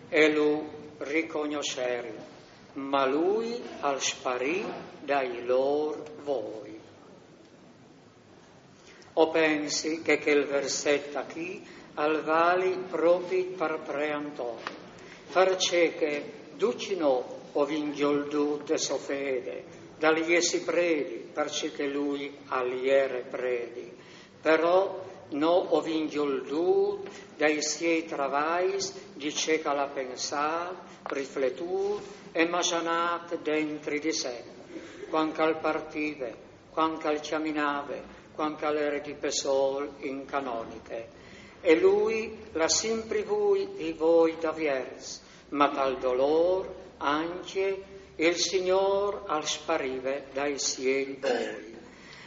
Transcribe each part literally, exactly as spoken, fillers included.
E lu ricognosserin, ma lui al sparì dai lor voi. O pensi che quel verset achì al vali propi par Preanton, parcè che ducj nô o vin gjoldût de sô fede, dal jessi predi, parcè che lui al jere predi, però nô o vin gjoldût dai siei travais, di ce che al à pensât, rifletût e masanât dentri di se, cuant che al partive, cuant che al cjaminave, cuant che al jere di pe sôl in canoniche. E lui al à simpri vût i voi daviers, ma tal dolôr ancje il Signôr al sparive dai siei voi.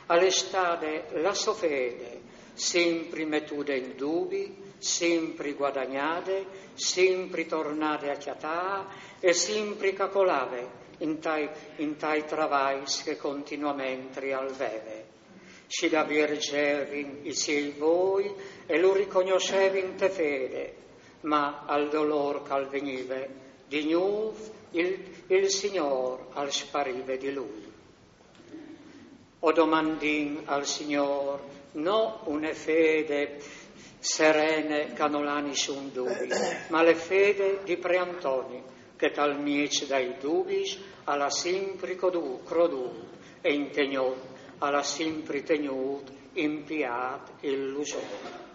Al è stade la sô fede, simpri metude in dubi, simpri guadagnade, simpri tornade a cjatâ e simpri che al colave in tai, in tai travais che continuamentri al veve. Si da viergevin i siei voi e lu ricognossevin te fede, ma al dolôr che al vignive di gnûf il, il Signôr al sparive di lui. O domandìn al Signôr no une fede serene che nol à nissun dubi, ma le fede di Preantoni, che tal mieç dai dubis al à simpri codû-, crodût e integnût, al à simpri tegnût impiât il lusôr.